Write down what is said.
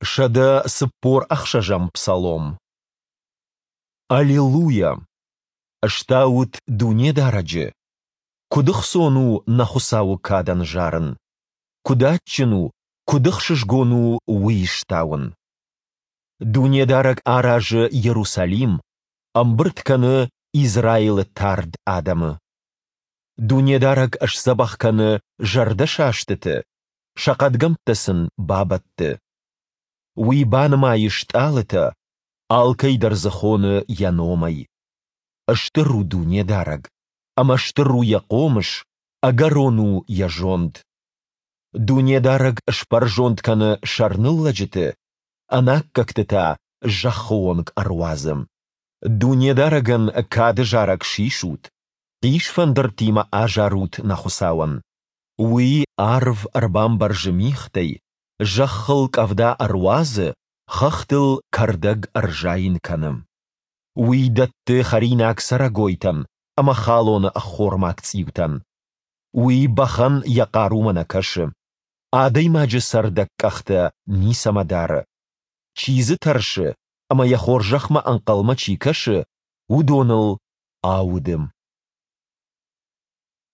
146-ӕм псалом. Аллилуйа! Стаут Дунедарӕджы! Куыд ӕхцон у нӕ Хуыцауы кадӕн зарын! Куыд адджын у, куыд ӕхсызгон у Уый стауын! Дунедарӕг аразы Иерусалим, ӕмбырд кӕны Израилы тард адӕмы. Дунедарӕг сдзӕбӕх кӕны зӕрдӕсастыты, сӕ хъӕдгӕмттӕ сын бабӕтты. Уый банымайы стъалытӕ, алкӕй дӕр дзы хоны йӕ номӕй. Стыр у Дунедарӕг, ӕмӕ стыр у йӕ хъомыс, ӕгӕрон у йӕ зонд. Дунедарӕг сбӕрзонд кӕны сӕрныллӕджыты, ӕнаккӕгты та зӕххы онг ӕруадзы. Дунедарӕгӕн кады зарӕг сисут, хъисфӕндыртимӕ азарут нӕ Хуыцауӕн. Уый арв ӕрбамбӕрзы мигътӕй, зӕххыл къӕвда ӕруадзы, хӕхтыл кӕрдӕг ӕрзайын кӕны. Уый дӕтты хӕринаг цӕрӕгойтӕн ӕмӕ халоны ӕххормаг цъиутӕн. Уый бӕхӕн йӕ хъарумӕ нӕ кӕсы. Адӕймаджы цӕрдӕг къӕхтӕ ницӕмӕ дары. Чи дзы тӕрсы ӕмӕ йӕ хорзӕхмӕ ӕнхъӕлмӕ чи кӕсы, уыдоныл ауды.